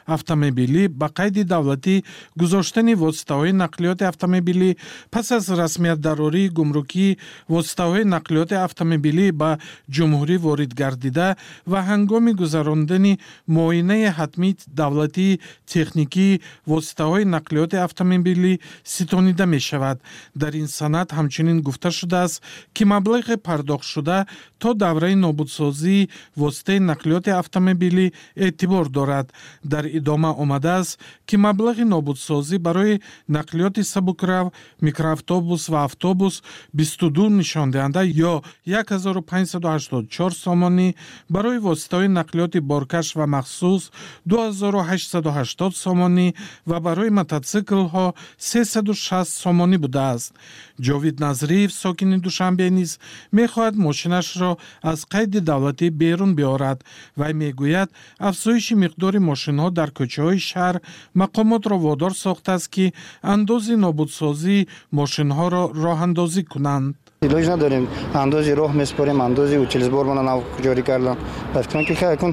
автомобилӣ ба қайди давлатӣ гузоштани воситаҳои нақлиёти автомобилӣ пас аз расмиятдарории гумрукии воситаҳои нақлиёти автомобилӣ ба ҷумҳурӣ ворид гардида ва ҳангоми гузарондани муоинаи ҳатмии давлатии техникии воситаҳои нақлиёти автомобилӣ ситонида мешавад. Дар ин санад ҳамчунин гуфта шудааст, ки маблағи пардохтшуда то давраи нобудсозии воситаи нақлиёти автомобилӣ эътибор дорад. Дар идома омадааст, ки маблағи нобудсозӣ барои нақлиёти сабукрав, микроавтобус ва автобус 22 нишондиҳанда ё 1584 сомонӣ, барои воситаҳои нақлиёти боркаш ва махсус 2880 сомонӣ ва барои мототсиклҳо 360 сомонӣ будааст. Ҷовид Назриев, сокини Душанбе, низ мехоҳад мошинашро аз қайди давлатӣ берун биёрад. Вай мегӯяд, афзоиши миқдори мошинҳо дар кӯчаҳои шаҳр мақомотро водор сохтааст, ки андози нобудсозии мошинҳоро роҳандозӣ кунанд. Илоҷ надорем, андози роҳ меспорем, андози утилсбормона нав ҷорӣ кардам. Ба фикрам, ки хайкун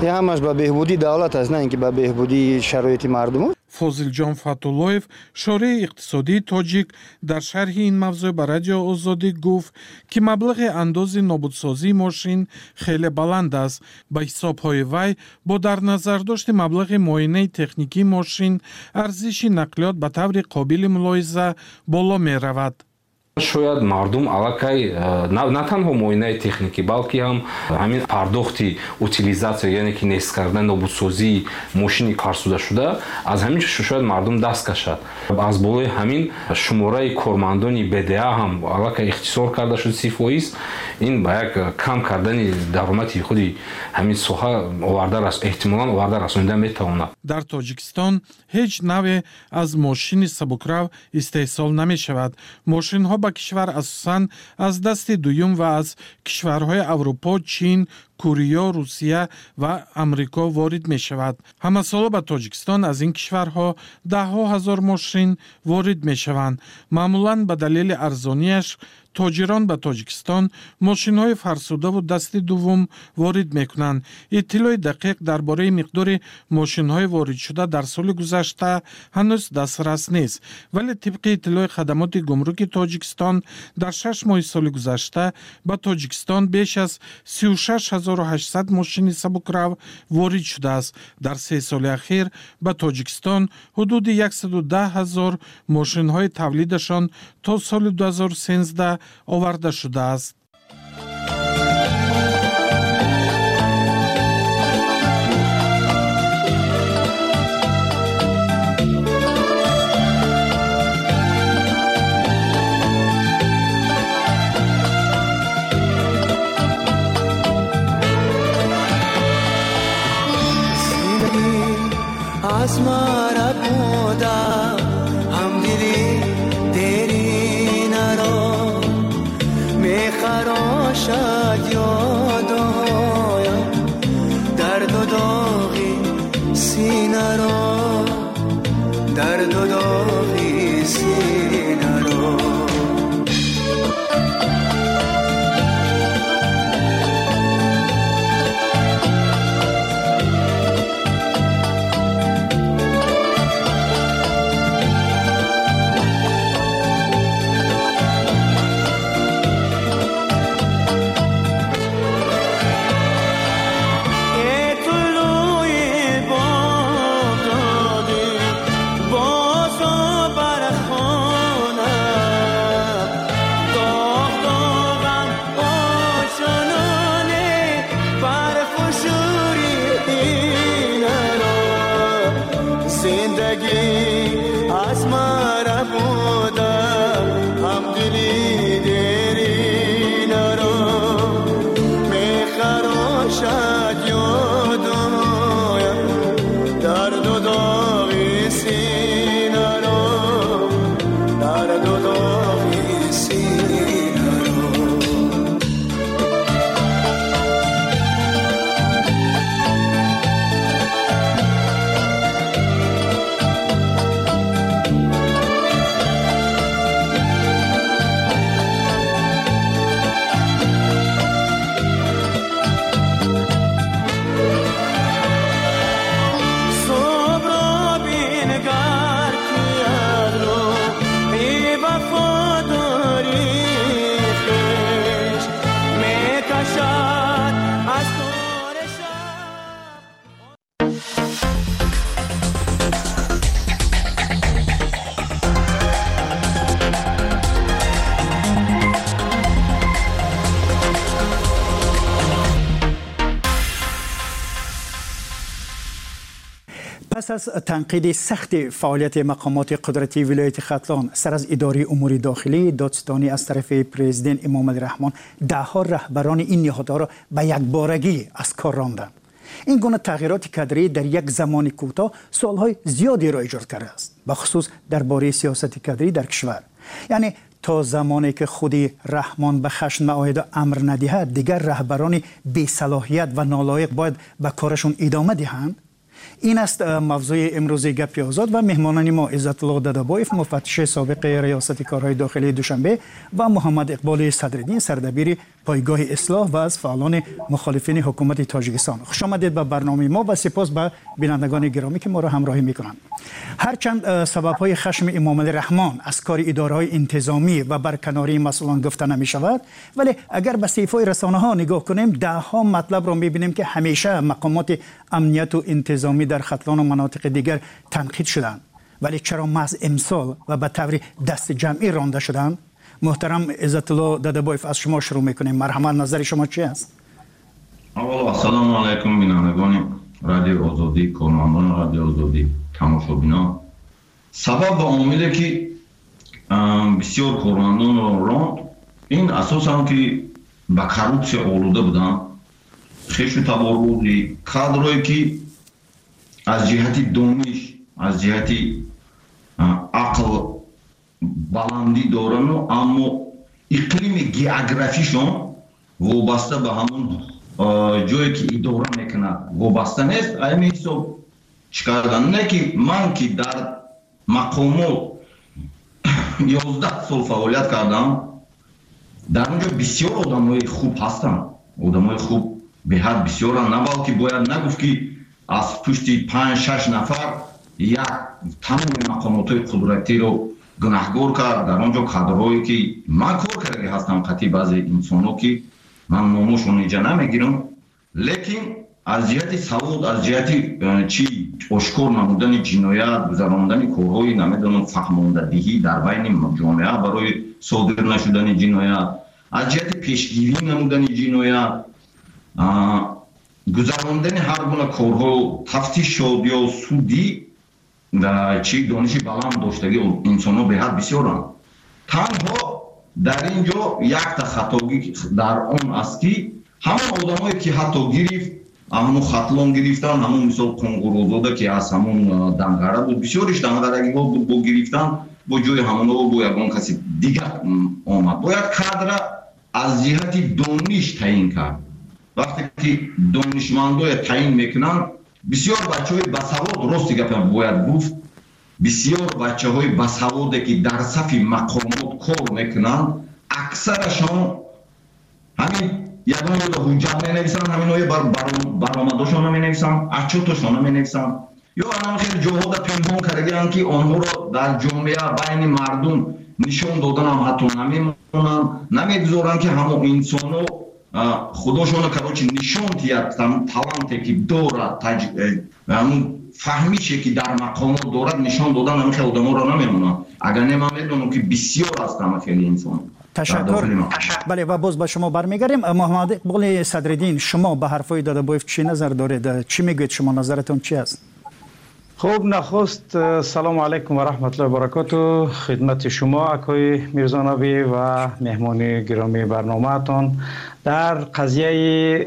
ҳамаш ба беҳбудии давлат аст, на ин ки ба беҳбудии шароити мардум. Фозилҷон Фатуллоев, шореҳи иқтисодии тоҷик, дар шарҳи ин мавзӯъ ба Радио Озодӣ гуфт, ки маблағи андози нобудсозии мошин хеле баланд аст. Ба ҳисобҳои вай, бо дар назардошти маблағи муоинаи техникии мошин, арзиши нақлиёт ба таври қобили мулоҳиза боло меравад. Шояд мардум аллакай на танҳо муоинаи техникӣ, балки ҳам ҳамин пардохти утилизатсия, яъне ки нест кардани нобудсозии мошини фарсудашуда, аз ҳамин шояд мардум даст кашад. Аз болои ҳамин шумораи кормандони БДА ҳам аллакай ихтисор карда шуд 30%. Ин ба як кам кардани даромади худи ҳамин соҳа эҳтимолан оварда расонида метавонад. Дар Тоҷикистон ҳеҷ навъе аз мошини сабукрав истеҳсол намешавад. Мошинҳо ба кишвар асосан аз дасти дуюм ва аз кишварҳои Аврупо, Чин, Корея, Русия ва Амрико ворид мешавад. Ҳамасола ба Тоҷикистон аз ин кишварҳо даҳҳо ҳазор мошин ворид мешаванд. Маъмулан ба далели арзонияш тоҷирон ба Тоҷикистон мошинҳои фарсудаву дасти дуввум ворид мекунанд. Иттилои дақиқ дар бораи миқдори мошинҳои воридшуда дар соли гузашта ҳанӯз дастрас нест, вале тибқи иттилои хадамоти гумруки Тоҷикистон дар 6 моҳи соли гузашта ба Тоҷикистон беш аз 36 800 мошини сабукрав ворид шудааст. Дар 3 соли ахир ба Тоҷикистон ҳудуди 110 ҳазор мошинҳои тавлидашон то соли 2013 оварда шудааст. Аз мара буда ҳамдили деринаро мехарошад ёдоям, дарду доғи синаро, дарду доғи синаро. Пас аз танқиди сахти фаъолияти мақомоти қудратии вилояти Хатлон сар аз идораи умури дохилӣ, додситонӣ аз тарафи президент Эмомалӣ Раҳмон даҳҳо раҳбарони ин ниҳодҳоро ба якборагӣ аз кор ронданд. Ин гуна тағйироти кадрӣ дар як замони кӯтоҳ суолҳои зиёдеро эҷод кардааст, бахусус дар бораи сиёсати кадрӣ дар кишвар. Яъне то замоне ки худи Раҳмон ба хашм наояду амр надиҳад, дигар раҳбарони бесалоҳият ва нолоиқ бояд ба корашон идома диҳанд. Ин аст мавзӯи имрӯзи Гапи озод ва меҳмонони мо Иззатулло Дадабоев, муфаттиши собиқи Риёсати корҳои дохилии Душанбе, ва Муҳаммад Иқболи Садриддин, сардабири пойгоҳи Ислоҳ ва аз фаъолони мухолифини ҳукумати Тоҷикистон. Хуш омадед ба барномаи мо ва сипос ба бинандагони гиромӣ, ки моро ҳамроҳӣ мекунанд. Ҳарчанд сабабҳои хашми Эмомалӣ Раҳмон аз кори идораҳои интизомӣ ва барканории масъулон гуфта намешавад, вале агар ба саҳифаҳои расонаҳо нигоҳ кунем, даҳҳо матлабро мебинем, ки ҳамеша мақомоти амнияту интизомӣ дар Хатлону манотиқи дигар танқид шуданд. Вале чаро маҳз имсол ва ба таври дасти ҷамъӣ ронда шуданд? Муҳтарам Иззатулло Дадабоев, аз шумо шурӯъ мекунем. Марҳамат, назари шумо чи аст? Аввало, ассалому алайкум, бинандагони Радиои Озодӣ, кормандони Радиои Озодӣ, тамошобинон. Сабаб ва омиле, ки бисёр кормандонро ронд, ин асосан ки ба коррупсия олуда буданд, хешу таборбозӣ, кадрое ки аз ҷиҳати дониш, аз ҷиҳати ақл баландӣ дорану, аммо иқлими географишон вобаста ба ҳамон ҷое, ки идора мекунад, вобаста нест. Ами ҳисоб чӣ кардан не, ки ман, ки дар мақомот 11 сол фаъолият кардам, дар он ҷо бисёр одамои хуб ҳастанд, одамои хуб беҳад бисёранд. На балки бояд нагуфт, ки аз пушти панҷ шаш нафар як тамоми мақомотҳои қудратиро гунаҳгор кард. Дар он ҷо кадрҳое, ки ман кор кардаги ҳастам қатъи баъзе инсонҳо, ки ман номошон инҷа намегирам, лекин аз ҷиҳати савод, аз ҷиҳати чи ошкор намудани ҷиноят, гузарондани корҳои, намедонам, фаҳмондадиҳӣ дар байни ҷомеа барои содир нашудани ҷиноят, аз ҷиҳати пешгирӣ намудани ҷиноят, гузарондани ҳар гуна корҳо, тафтишот ё судӣ, чи дониши баланд доштагӣ инсонҳо беҳад бисёранд. Танҳо дар ин ҷо якта хатогӣ дар он аст, ки ҳамон одамое, ки ҳатто гирифт, ҳамон Хатлон гирифтан, ҳамон мисол Қонғурозода, ки аз ҳамон Данғара буд, бисёриш данғарагиҳо буд, бо гирифтан, бо ҷои ҳамонҳо бо ягон каси дигар омад. Бояд кадра аз ҷиҳати дониш таъин кард. Вақте ки донишмандое таъин мекунанд, бисёр бачаҳои басавод, рости гапа бояд гуфт, бисёр бачаҳои басаводе, ки дар сафи мақомот кор мекунанд, аксарашон ҳамин ягон ҷода ҳуҷҷат менависанд, ҳаминое баромадошона менависанд, отчётошона менависанд ё анам хеле ҷоҳода пинҳон кардагианд, ки онҳоро дар ҷомеа, байни мардум нишон доданам ҳатто намемонанд, намегузоранд, ки ҳамон инсоно худошона, короче, нишон диҳад таланте, ки дорад, ҳамун фаҳмише, ки дар мақомот дорад, нишон додан ҳамин хел одаморо намемонанд. Агар не, ман медонам, ки бисёр аст ҳама хели инсон. Ташаккур. Бале, ва боз ба шумо бармегардем. Муҳаммад Иқболи Садриддин, шумо ба ҳарфҳои Дадабоев чӣ назар доред? Чӣ мегӯед шумо, назаратон чӣ аст? Хуб, нахуст салому алайкум ва раҳматуллоҳи баракоту хидмати шумо, акои Мирзонабӣ, ва меҳмони гиромии барномаатон. Дар қазияи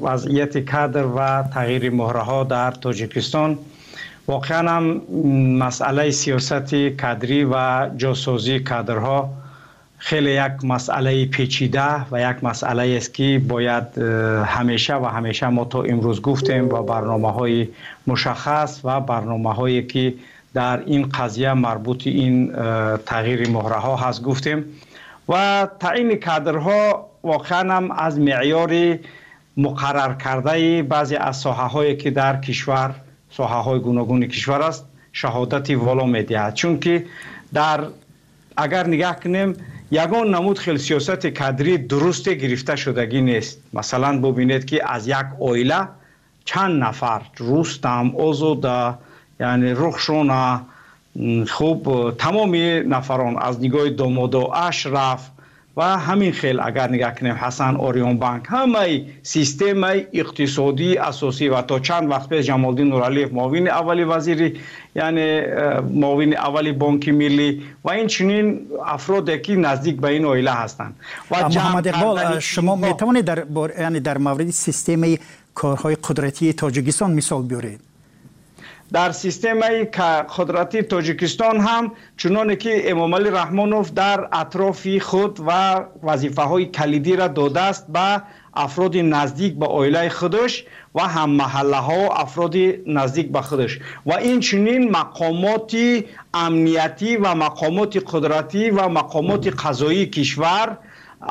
вазъияти кадр ва тағйири муҳраҳо дар Тоҷикистон, воқеан ҳам масъалаи сиёсати кадрӣ ва ҷосозии кадрҳо хеле як масъалаи печида ва як масъалаест, ки бояд ҳамеша ва ҳамеша мо то имрӯз гуфтем ва барномаҳои мушаххас ва барномаҳое, ки дар ин қазия марбути ин тағйири муҳраҳо ҳаст, гуфтем. Ва таъини кадрҳо воқеан ҳам аз меъёри муқарраркардаи баъзе аз соҳаҳое, ки дар кишвар, соҳаҳои гуногуни кишвар аст, шаҳодати воло медиҳад, чунки дар агар нигаҳ кунем, ягон намуд хел сиёсати кадрӣ дурусте гирифта шудагӣ нест. Масалан, бубинед, ки аз як оила чанд нафар: Рустам, Озода, яъне Рухшона, хуб, тамоми нафарон аз нигоҳи домодо Ашраф, Ва ҳамин хел агар нигаҳ кунем, Ҳасан Ориёнбанк, ҳамаи системаи иқтисодии асосӣ ва то чанд вақт пеш Ҷамолиддин Нуралиев, муовини аввали вазири, яъне муовини аввали Бонки Миллӣ ва инчунин афроде ки наздик ба ин оила ҳастанд. Ва Муҳаммад Иқбол, шумо метавонед яъне дар мавриди системаи корҳои қудратии Тоҷикистон мисол биёред? Дар системаи қудрати Тоҷикистон ҳам, чуноне ки Эмомалӣ Раҳмонов дар атрофи худ ва вазифаҳои калидиро додааст ба афроди наздик ба оилаи худаш ва ҳаммаҳаллаҳо, афроди наздик ба худаш ва инчунин мақомоти амниятӣ ва мақомоти қудратӣ ва мақомоти қазоии кишвар,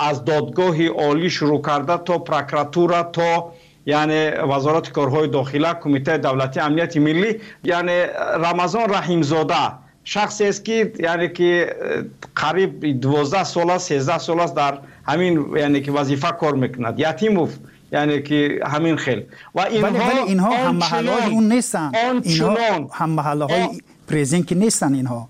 аз додгоҳи олӣ шурӯъ карда то прокуратура, то яъне Вазорати корҳои дохила, Кумитаи давлатии амнияти миллӣ. Яъне Рамазон Раҳимзода шахсест, ки яъне ки қариб 12 сол аст, 13 сол аст дар ҳамин яъне ки вазифа кор мекунад. Ятимов, яъне ки ҳамин хел. Ва инҳо ҳаммаҳаллаҳои он нестанд, инҳо ҳаммаҳаллаҳои президент ки нестанд инҳо.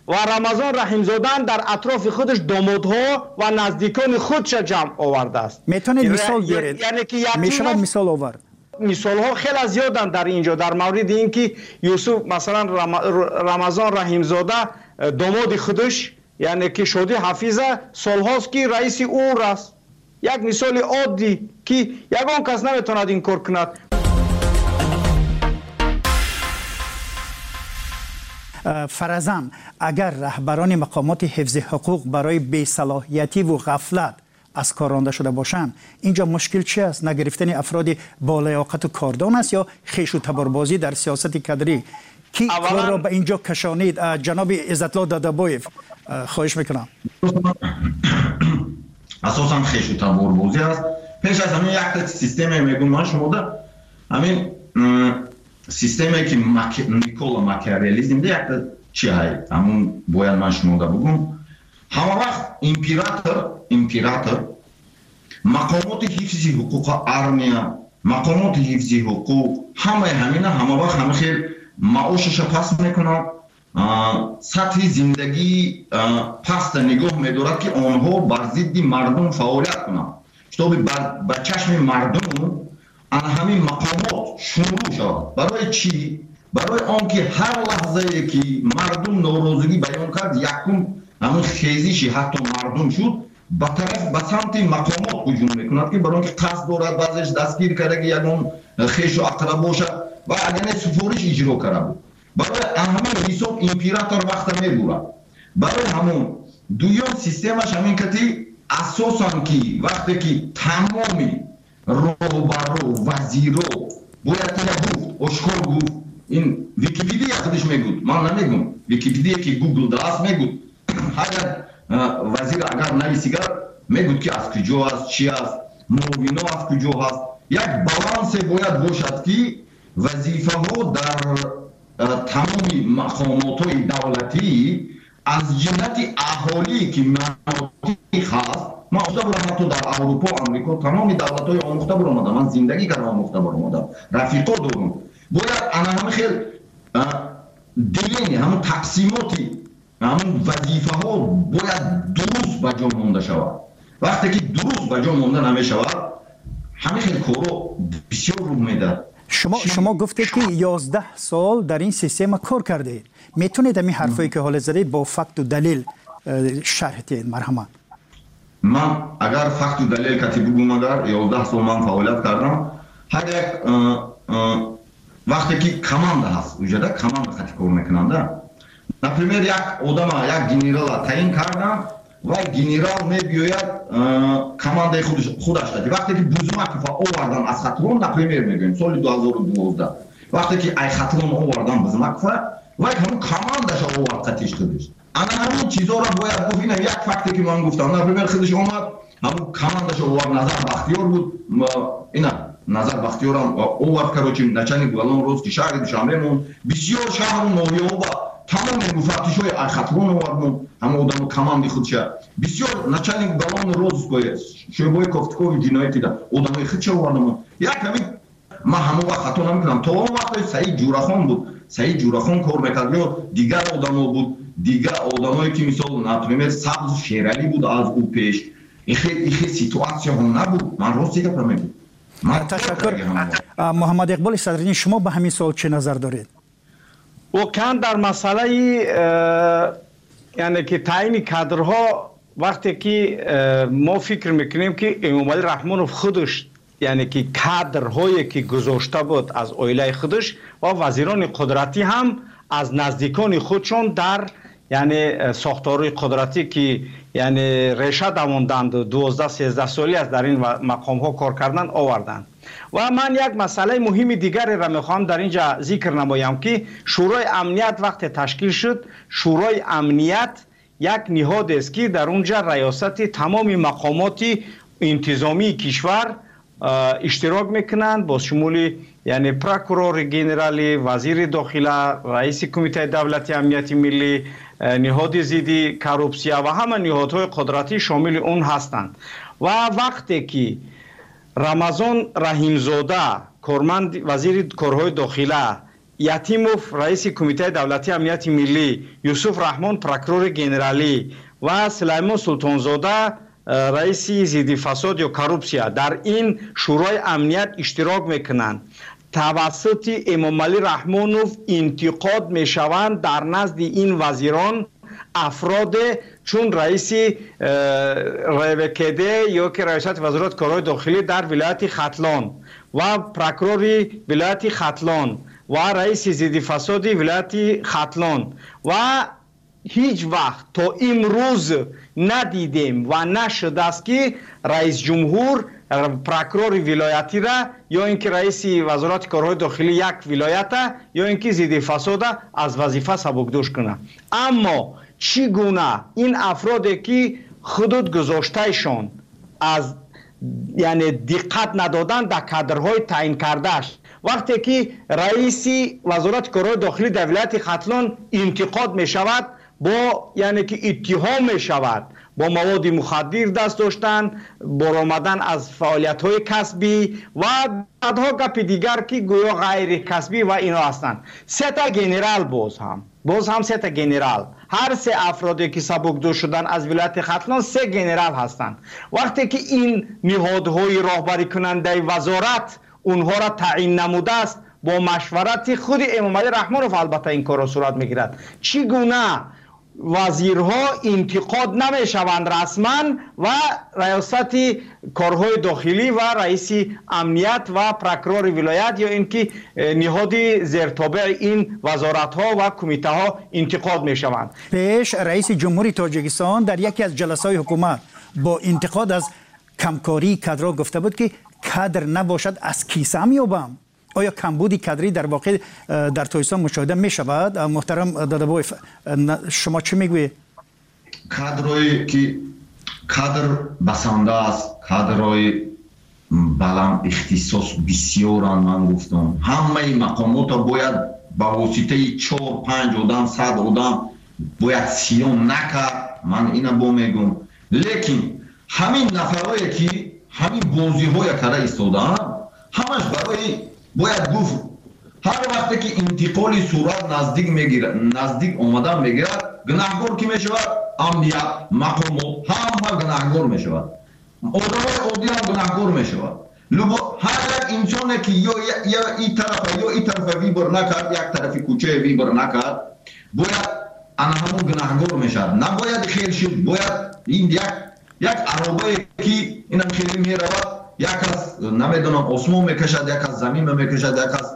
Ва Рамазон Раҳимзодан дар атрофи худаш домодҳо ва наздикони худша ҷамъ овардааст. Метавонед мисол биёред? Мешавад мисол овард? Мисолҳо хеле зиёданд дар ин ҷо дар мавриди ин ки Юсуф, масалан, Рамазон Раҳимзода домоди худаш, яъне ки Шодӣ Ҳафиза, солҳост ки раиси УР аст. Як мисоли оддӣ, ки ягон кас наметавонад инкор кунад. Фарзан агар раҳбарони мақомоти ҳифзи ҳуқуқ барои бесалоҳиятиву ғафлат аз кор ронда шуда бошанд, инҷо мушкил чи аст? Нагирифтани афроди болаёқату кордон аст ё хешу таборбозӣ дар сиёсати кадрӣ? Ки корро ба инҷо кашонид? Ҷаноби Иззатло Дадабоев, хоҳиш мекунам. Асосан хешу таборбозӣ аст. Пеш аз ҳамин якта системе мегӯм ман шумода, ҳамин системае ки Никола Макиавеллизмда якта чи ҳай, ҳамун бояд ман шумода бугум. Ҳама вақт император мақомоти ҳифзи ҳуқуқа, армия, мақомоти ҳифзи ҳуқуқ, ҳамаи ҳамина ҳама вақт ҳама хел маошаша паст мекунад, сатҳи зиндагии паста нигоҳ медорад, ки онҳо бар зидди мардум фаъолият кунанд, чтобы ба чашми мардум ана ҳамин мақомот шумрӯ шавад. Барои чӣ? Барои он ки ҳар лаҳзае ки мардум норозигӣ баён кард, якум ҳамин хезиши ҳатто мардум шуд, ба тараф, ба самти мақомот ҳуҷум мекунад, ки барои он ки қасд дорад баъзеш дастгир карда, ки ягон хешу ақраб бошад ва агар не, суфориш иҷро карда буд. Барои ҳамин ҳисоб император вақта мебурад. Барои ҳамон дуюм системаш ҳамин кати асосан, ки вақте ки тамоми роҳбаро, вазиро бояд ина гуфт, ошкор гуфт, ин Википедия худаш мегӯд, ман намегӯм, Википедия ки Гугл даст мегӯд, ҳар як вазир агар нависигар, мегӯд ки аз куҷо аст, чи аст, муовино аз куҷо ҳаст. Як балансе бояд бошад, ки вазифаҳо дар тамоми мақомотҳои давлатӣ аз ҷиҳати аҳолие ки манотиқ ҳаст. Ман омӯхта бурам, ҳатто дар Аврупо, Амрико, тамоми давлатҳои омӯхта буромадам, ман зиндагӣ кардам, омӯхта буромадам, рафиқо дорум. Бояд ана ҳамин хел деление, ҳамун тақсимоти ҳамун вазифаҳо бояд дуруст ба ҷо монда шавад. Вақте ки дуруст ба ҷо монда намешавад, ҳамин хел корро бисёр рӯ медиҳад. Шумо гуфтед, ки 11 сол дар ин система кор кардед. Метавонед ҳамин ҳарфое ки ҳоло задед бо факту далел шарҳ диҳед, марҳамат? Ман агар факту далел кати бугум, агар 11 сол ман фаъолият кардам, ҳар як вақте ки команда ҳаст, уҷада команда хати кор мекунанда. Например, як одама, як генерала таъин кардам ва генерал мебиёяд командаи худаш кати. Вақте ки Бузмакова овардан аз Хатлон, например мегӯем, соли 2012, вақте ки ай Хатлон овардан Бузмакова, вай ҳамун командаша овард қатиш худаш. Ана ҳамин чизоро бояд гуфт. Ина як факте ки ман гуфтам. Например, худаш омад, ҳамун командаша овард, Назар Бахтиёр буд, ина Назар Бахтиёрам овард, короче, начальник уголовного розыска шаҳри Душанбе монд, бисёр шаҳру ноҳияҳо ба тамоми муфаттишҳои Хатлон овард монд, ҳама одамо команди худша, бисёр начальник уголовного розыска шӯъбаи кофтукови ҷиноятида одамои худша оварда монд. Як ҳамин ман ҳамон вақт хато намекунам, то он вақт Саид Ҷурахон буд, Саид Ҷурахон кор мекард ё дигар одамо буд. Дигар одамое ки, мисол, например, Сабз Шералӣ буд, аз ӯ пеш ихе ситуатсияҳо набуд. Ман рости гапа мегӯм. Ташаккур. Муҳаммад Иқболи Садриддин, шумо ба ҳамин суол чӣ назар доред? Воқеан, дар масъалаи, яъне ки таъини кадрҳо, вақте ки мо фикр мекунем, ки Эмомалӣ Раҳмонов худаш, яъне ки кадрҳое ки гузошта буд аз оилаи худаш ва вазирони қудратӣ ҳам аз наздикони худшон дар, яъне, сохторҳои қудратӣ, ки, яъне, реша давонданд, 12-13 солӣ аст дар ин мақомҳо кор кардан, оварданд. Ва ман як масъалаи муҳими дигареро мехоҳам дар ин ҷа зикр намоям, ки Шӯрои амният вақте ташкил шуд, Шӯрои амният як ниҳодест, ки дар он ҷа раёсати тамоми мақомоти интизомии кишвар иштирок мекунанд, бо шумули, яъне, прокурори генералӣ, вазири дохила, раиси Кумитаи давлати амнияти миллӣ, ниҳоди зидди коррупсия ва ҳама ниҳодҳои қудратӣ шомили он ҳастанд. Ва вақте ки Рамазон Раҳимзода, корманд, вазири корҳои дохила, Ятимов, раиси Кумитаи давлати амнияти миллӣ, Юсуф Раҳмон, прокурори генералӣ, ва Сулаймон Султонзода, раиси зидди фасод ё коррупсия, дар ин Шӯрои амният иштирок мекунанд, тавассути Эмомалӣ Раҳмонов интиқод мешаванд дар назди ин вазирон афроде чун раиси РВКД ё ки раёсати вазорати корҳои дохилӣ дар вилояти Хатлон ва прокурори вилояти Хатлон ва раиси зидди фасоди вилояти Хатлон. Ва ҳеҷ вақт то имрӯз надидем ва нашудааст, ки раисҷумҳур прокурори вилоятира ё ин ки раиси вазорати корҳои дохилӣ як вилоята ё ин ки зидди фасода аз вазифа сабукдӯш кунад. Аммо чӣ гуна ин афроде ки худуд гузоштаишон аз, яъне, диққат надодан дар кадрҳои таъин кардааш, вақте ки раиси вазорати корҳои дохилӣ дар вилояти Хатлон интиқод мешавад, бо, яъне ки, иттиҳом мешавад бо маводи мухаддир даст доштан, баромадан аз фаъолиятҳои касбӣ ва баъдҳо гапи дигар, ки гӯё ғайрикасбӣ ва ино ҳастанд, сета генерал, боз ҳам сета генерал, ҳар се афроде ки сабукдӯш шуданд аз вилояти Хатлон, се генерал ҳастанд. Вақте ки ин ниҳодҳои роҳбарикунандаи вазорат онҳоро таъин намудааст, бо машварати худи Эмомалӣ Раҳмонов албатта ин корро сурат мегирад, чӣ гуна вазирҳо интиқод намешаванд расман ва раёсати корҳои дохилӣ ва раиси амният ва прокурори вилоят ё ин ки ниҳоди зертобеи ин вазоратҳо ва кумитаҳо интиқод мешаванд? Пеш раиси ҷумҳури Тоҷикистон дар яке аз ҷаласаҳои ҳукумат бо интиқод аз камкории кадрҳо гуфта буд, ки кадр набошад, аз кисаам ёбам. Оё камбуди кадрӣ дар воқеъ дар Тоҷикистон мушоҳида мешавад? Муҳтарам Додабоев, шумо чӣ мегӯед? Кадрое ки кадр басанда аст, кадрҳои баланд ихтисос бисёранд. Ман гуфтам, ҳамаи мақомотро бояд ба воситаи чор панҷ одам, 100 одам бояд сиён накард. Ман ина бо мегӯм, лекин ҳамин нафарое ки ҳамин бозиҳоя карда истодаанд, ҳамаш барои, бояд гуфт, ҳар вақте ки интиқоли сурат наздик мегирад, наздик омадан мегирад, гунаҳгор кӣ мешавад? Амният, мақомот, ҳама гунаҳгор мешавад, одамои оддӣ ҳам гунаҳгор мешавад. Ҳар як инсоне ки ё и тарафа, ё и тарафа выбор накард, як тарафи кӯчае выбор накард, бояд ана ҳамон гунаҳгор мешавад. Набояд хел шуд, бояд ин як аробае ки инам хеле меравад, як аз, намедонам, осмон мекашад, як аз замин мекашад, як аз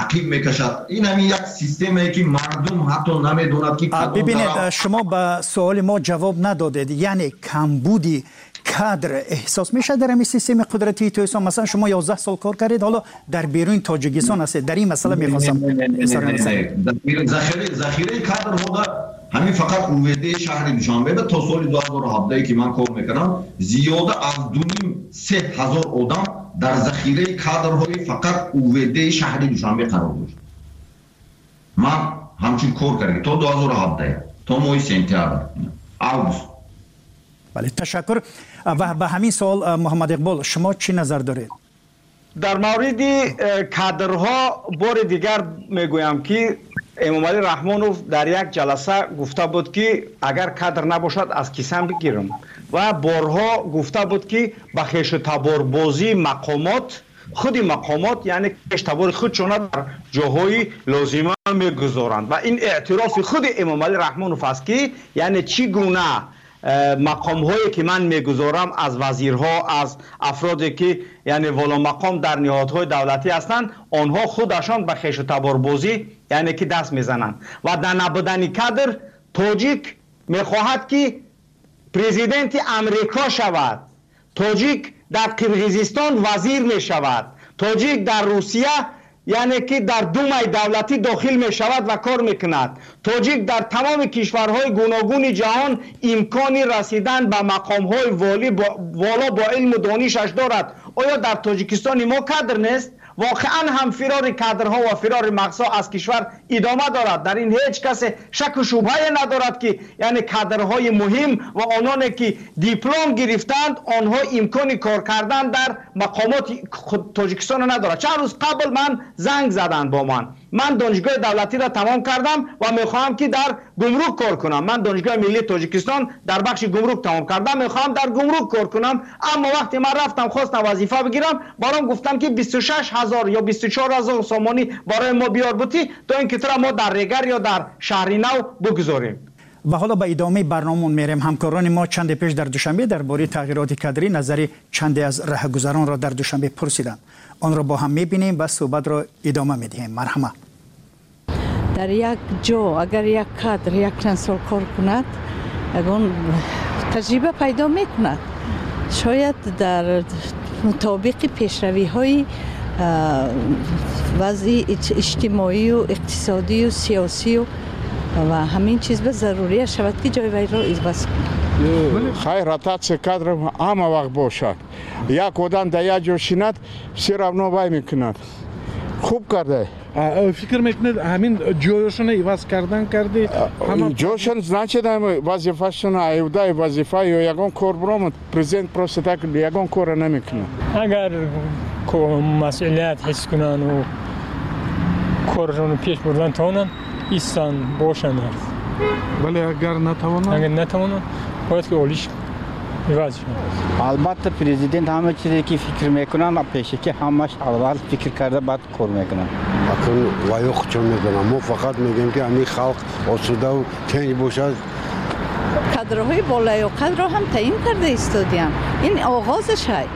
ақиб мекашад. Ин ҳамин як системае ки мардум ҳатто намедонад ки Бибинед, шумо ба суоли мо ҷавоб надодед. Яъне камбуди кадр эҳсос мешавад дар ҳамин системаи қудратии Тоҷикистон? Масалан, шумо 11 сол кор кардед, ҳоло дар беруни Тоҷикистон ҳастед. Дар ин масъала мехостам. Захираи кадрҳода ҳамин фақат УВД шаҳри Душанбе то соли 2017, ки ман кор мекардам, зиёда аз дуним се ҳазор одам дар захираи кадрҳои фақат УВД шаҳри Душанбе қарор дошт. Ман ҳамчун кор кардем то 2017, то моҳи сентябр, август. Бале, ташаккур. Ва ба ҳамин суол, Муҳаммад Иқбол, шумо чӣ назар доред? Дар мавриди кадрҳо бори дигар мегӯям, ки Эмомалӣ Раҳмонов дар як ҷаласа гуфта буд, ки агар кадр набошад, аз кисам бигирам, ва борҳо гуфта буд, ки ба хешу таборбозии мақомот, худи мақомот, яъне хештабори худшона дар ҷоҳои лозима мегузоранд. Ва ин эътирофи худи Эмомалӣ Раҳмонов аст, ки яъне чӣ гуна мақомҳое ки ман мегузорам, аз вазирҳо, аз афроде ки яъне воломақом дар ниҳодҳои давлатӣ ҳастанд, онҳо худашон ба хешу таборбозӣ яъне ки даст мезананд. Ва дар набудани кадр тоҷик мехоҳад, ки президенти Амрико шавад, тоҷик дар Қирғизистон вазир мешавад, тоҷик дар Русия, яъне ки дар Думаи давлатӣ дохил мешавад ва кор мекунад. Тоҷик дар тамоми кишварҳои гуногуни ҷаҳон имкони расидан ба мақомҳои воло бо илму донишаш дорад. Оё дар Тоҷикистони мо кадр нест? Воқеан ҳам фирори кадрҳо ва фирори мағзҳо аз кишвар идома дорад. Дар ин ҳеҷ касе шаку шубҳае надорад, ки яъне кадрҳои муҳим ва ононе ки диплом гирифтанд, онҳо имкони кор кардан дар мақомоти Тоҷикистонро надорад. Чанд рӯз қабл ман занг заданд бо ман: ман донишгоҳи давлатиро тамом кардам ва мехоҳам, ки дар гумрук кор кунам. Ман Донишгоҳи миллии Тоҷикистон дар бахши гумрук тамом кардам, мехоҳам дар гумрук кор кунам. Аммо вақте ман рафтам, хостам вазифа бигирам, баром гуфтам, ки 26 000 ё 24 000 сомонӣ барои мо биёр бутӣ, то ин ки тура мо дар Регар ё дар Шаҳри Нав бигузорем. Ва ҳоло ба идомаи барномаон мерем. Ҳамкорони мо чанде пеш дар Душанбе дар бораи тағйироти кадрӣ назари чанде аз раҳгузаронро дар Душанбе пурсиданд. Онро бо ҳам мебинем ва суҳбатро идома медиҳем. Марҳамат. Дар як ҷо агар як кадр як чанд сол кор кунад, ягон таҷриба пайдо мекунад, шояд дар мутобиқи пешравиҳои вазъи иҷтимоию иқтисодию сиёсию ва ҳамин чиз ба зарурия шавад, ки ҷои вайро иваз кунад. Хай, ротация кадров ҳама вақт бошад. Як одам дар як ҷо шинад, все равно вай мекунад. Хуб карда. Фикр мекунед, ҳамин ҷоёшона иваз кардан карди? Ҷошон, значит, вазифашона аюдаи вазифа ё ягон кор биромад. Президент просто так ягон корро намекунад. Агар масъулият ҳис кунанд, корашонро пеш бурдан тавонанд, истанд, бошанд. Вале агар натавонанд? Агар натавонанд, бояд ки олиш иваз шавад. Албатта, президент ҳама чизе ки фикр мекунанд, пешакӣ ҳамаш аввал фикр карда, баъд кор мекунанд. Акун ваё худшон медонам. Мо фақат мегӯем, ки ҳамин халқ осудаву тинҷ бошад. Кадрҳои болаёқатро ҳам таъин карда истодиям. Ин оғозаш ҳай,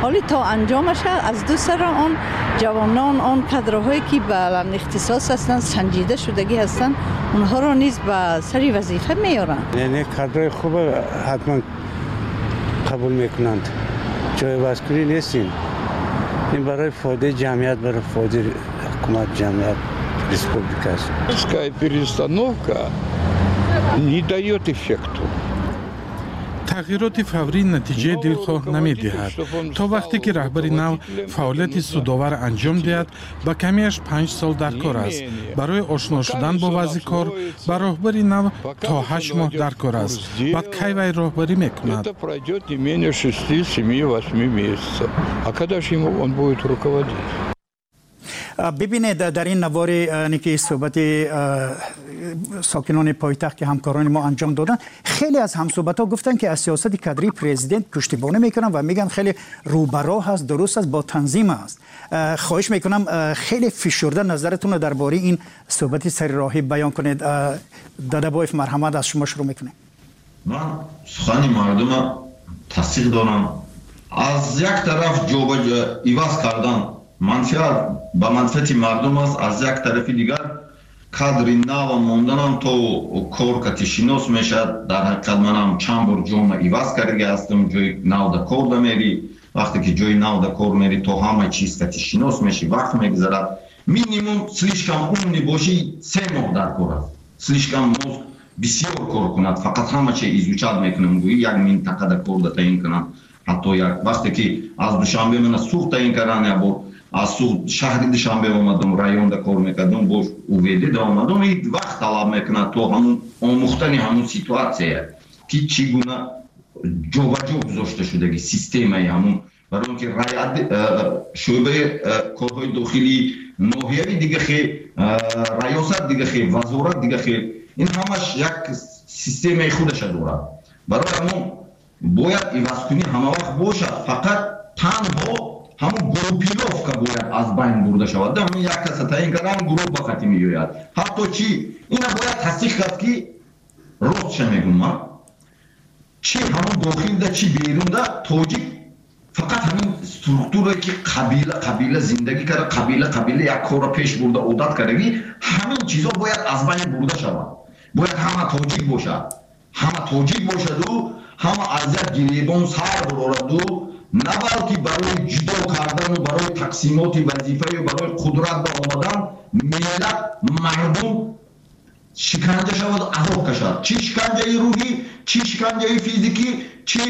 ҳоли то анҷомаш аз ду сара он ҷавонон, он кадрҳое ки ба ихтисос ҳастанд, санҷида шудагӣ ҳастанд, онҳоро низ ба сари вазифа меоранд. Не, кадрҳои хуба ҳатман қабул мекунанд. Ҷойивазкунӣ нестин, ин барои фоидаи ҷамъият, барои фоидаи ҳукумат, ҷамъият, республика аст. Перестановка не дает эффекту. Тағйироти фаврӣ натиҷаи дилхоҳ намедиҳад. То вақте ки раҳбари нав фаъолияти судовар анҷом диҳад, ба камиаш 5 сол дар кор аст. Барои ошно шудан бо вазъи кор ба роҳбари нав то 8 моҳ дар кор аст. Баъд кай вай роҳбарӣ мекунад? Это пройдет не менее 6, 7, 8 месяцев. А когда же ему он будет руководить? Бибинед, дар ин навори ки суҳбати сокинони пойтахт, ки ҳамкорони мо анҷом доданд, хеле аз ҳамсӯҳбатҳо гуфтанд, ки аз сиёсати кадрии президент пуштибонӣ мекунанд ва мегӯянд, хеле рӯбароҳ аст, дуруст аст, бо танзим аст. Хоҳиш мекунам, хеле фишурда назаратонро дар бораи ин суҳбати сари роҳӣ баён кунед. Дадабоев, марҳамат, аз шумо шурӯъ мекунем. Ман сухани мардума тасдиқ дорам. Аз як тараф иваз кардан манфиат ба манфиати мардум аст, аз як тарафи дигар кадри нава монданам то кор кати шинос мешавад. Дар ҳақиқат манам чанд бор ҷома иваз кардаги ҳастам. Ҷои навда кор да мери, вақте ки ҷои навда кор мери, то ҳама чиз кати шинос мешӣ, вақт мегузарад. Минимум, слишком умный бошӣ, 3 моҳ дар кор аст. Слишком мозг бисёр кор кунад, фақат ҳама чи изучать мекунам, гӯӣ як минтақада кор да таъин кунам. Ҳатто як вақте ки аз Душанбе мана Суғд таъин кардан, як бор аз Суғд шаҳри Душанбе омадам, районда кор мекардам, боз УВД да омадам. И вақт талаб мекунад то ҳамун омӯхтани ҳамун ситуация, ки чӣ гуна ҷобаҷо гузошта шудаги системаи ҳамун. Барои он ки шӯъбаи корҳои дохилӣ ноҳиявӣ дига хел, раёсат дига хел, вазорат дига хел, ин ҳамаш як системаи худаша дорад. Барои ҳамон бояд ивазкунӣ ҳамавақт бошад, фақат танҳо ҳамон группировка бояд аз байн бурда шавад. Ҳамин як каса таъин кардан, гурӯҳ ба хати меояд. Ҳатто чи ина бояд тасдиқ кард, ки ростша мегӯм ман, чи ҳамон дохилда, чи берунда тоҷик фақат ҳамин структурае ки қабила қабила зиндагӣ карда, қабила қабила як корро пеш бурда одат кардагӣ, ҳамин чизо бояд аз байн бурда шавад. Бояд ҳама тоҷик бошад, ҳама тоҷик бошаду ҳама аз як гиребон сар бурораду, на балки барои ҷудо кардану барои тақсимоти вазифаю барои қудрат ба омадан миллат, мардум шиканҷа шаваду азоб кашад, чӣ шиканҷаи рӯҳӣ, чӣ шиканҷаи физикӣ, чӣ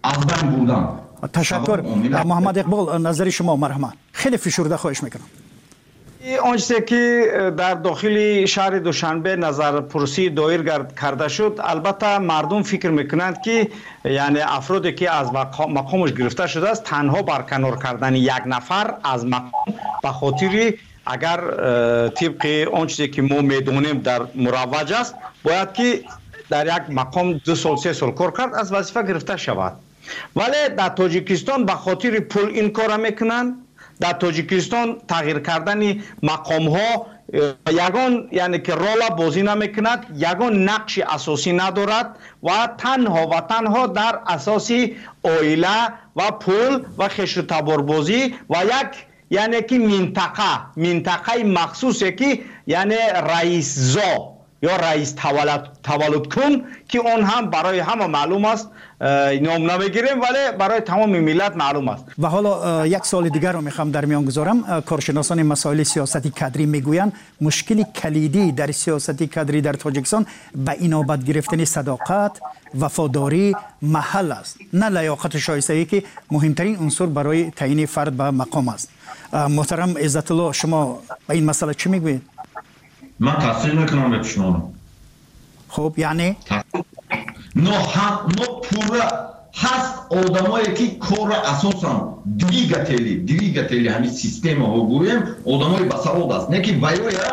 аз байн бурдан. Ташаккур. Муҳаммад Иқбол, назари шумо, марҳамат, хеле фишурда хоҳиш мекунам. Он чизе ки дар дохили шаҳри Душанбе назарпурсӣ доир карда шуд, албатта мардум фикр мекунанд, ки яъне афроде ки аз мақомаш гирифта шудааст, танҳо барканор кардани як нафар аз мақом ба хотири агар тибқи он чизе ки мо медонем дар муравваҷ аст, бояд ки дар як мақом 2 сол, 3 сол кор кард, аз вазифа гирифта шавад. Вале дар Тоҷикистон ба хотири пул ин корро мекунанд. Дар Тоҷикистон тағйир кардани мақомҳо ягон яъне ки рола бозӣ намекунад, ягон нақши асосӣ надорад ва танҳо ва танҳо дар асоси оила ва пул ва хешу таборбозӣ ва як яъне ки минтақаи махсусе ки яъне раисзо ё раис таваллудкун, ки он ҳам барои ҳама маълум аст, ном намегирем, вале барои тамоми миллат маълум аст. Ва ҳоло як суоли дигарро мехоҳам дар миён гузорам. Коршиносони масоили сиёсати кадрӣ мегӯянд, мушкили калидӣ дар сиёсати кадрӣ дар Тоҷикистон ба инобат гирифтани садоқат, вафодорӣ, маҳал аст, на лаёқату шоистагӣ, ки муҳимтарин унсур барои таъйини фард ба мақом аст. Муҳтарам Иззатулло, шумо ба ин масъала чӣ мегӯед? Ман тасдиқ мекунам гапи шуморо. Хуб, яъне? Но пурра ҳаст одамое ки корро асосан двигатели ҳамин системаҳо гӯем, одамои басавод аст, не ки ваёя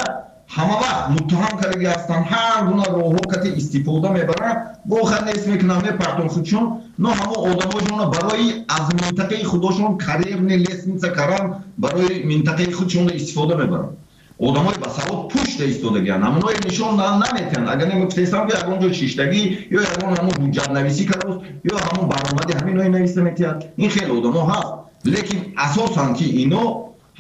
ҳама вақт муттаҳам кардаги ҳастанд, ҳар гуна роҳҳо кати истифода мебаранд, гоҳа нест мекунанд, мепартон худшон, но ҳамо одамошонро барои аз минтақаи худошон карьерный лестница кардан, барои минтақаи худшонро истифода мебаранд. Одамои басавод пушта истодагианд, ҳамоное нишон наметиҳанд. Агар немегуфтестам, ки ягон ҷо шиштагӣ ё ягон ҳамон ҳуҷҷатнависӣ кардааст, ё ҳамон баромади ҳаминое нависта метиҳад. Ин хеле одамо ҳаст, лекин асосан ки ино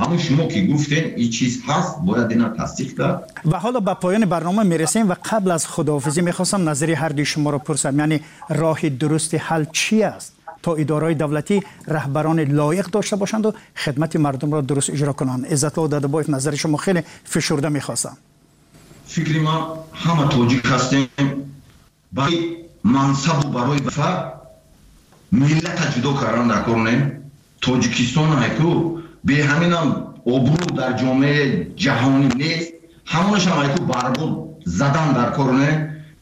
ҳамон шумо ки гуфтем, ин чиз ҳаст, бояд ина тасдиқ кард. Ва ҳоло ба поёни барнома мерасем ва қабл аз худоҳофизӣ мехостам назари ҳардуи шуморо пурсам, яъне роҳи дурусти ҳал чӣ аст, то идораҳои давлатӣ раҳбарони лоиқ дошта бошанду хидмати мардумро дуруст иҷро кунанд? Иззатулло Дадабоев, назари шумо хеле фишурда мехостам. Фикри ман, ҳама тоҷик ҳастем, барои мансабу барои вазифа миллата ҷудо кардан дар кор не. Тоҷикистон айку беҳаминам обрӯ дар ҷомеаи ҷаҳонӣ нест, ҳамонашам айку барбод задан дар кор не,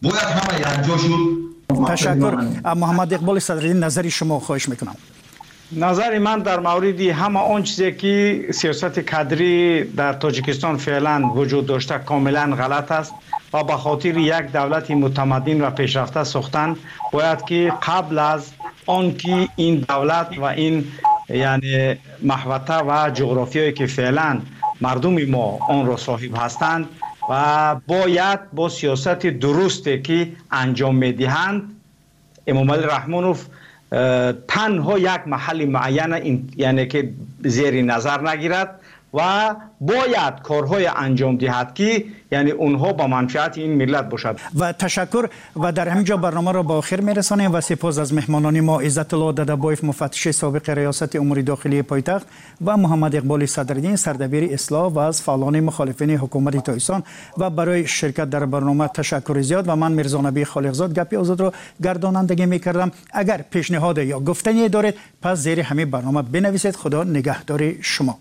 бояд ҳама якҷо шуд. Ташаккур. Муҳаммад Иқболи Садриддин, назари шумо хоҳиш мекунам. Назари ман дар мавриди ҳама он чизе ки сиёсати кадрӣ дар Тоҷикистон феълан вуҷуд дошта, комилан ғалат аст ва ба хотири як давлати мутамаддин ва пешрафта сохтан бояд ки қабл аз он ки ин давлат ва ин яъне маҳвата ва ҷуғрофиёе ки феълан мардуми мо онро соҳиб ҳастанд ва бояд бо сиёсати дурусте ки анҷом медиҳанд, Эмомалӣ Раҳмонов танҳо як маҳалли муайяна яъне ки зери назар нагирад ва бояд корҳое анҷом диҳад, ки яъне онҳо ба манфиати ин миллат бошад. Ва ташаккур, ва дар ҳамин ҷо барномаро ба охир мерасонем ва сипос аз меҳмонони мо: Иззатулло Дадабоев, муфаттиши собиқи Раёсати умури дохилии пойтахт, ва Муҳаммад Иқболи Садриддин, сардабири Ислоҳ ва аз фаъолони мухолифини ҳукумати Тоҷикистон. Ва барои ширкат дар барнома ташаккури зиёд. Ва ман, Мирзонаби Холиқзод, Гапи озодро гардонандагӣ мекардам. Агар пешниҳоде ё гуфтание доред, пас зери ҳамин барнома бинависед. Худо нигаҳдори шумо.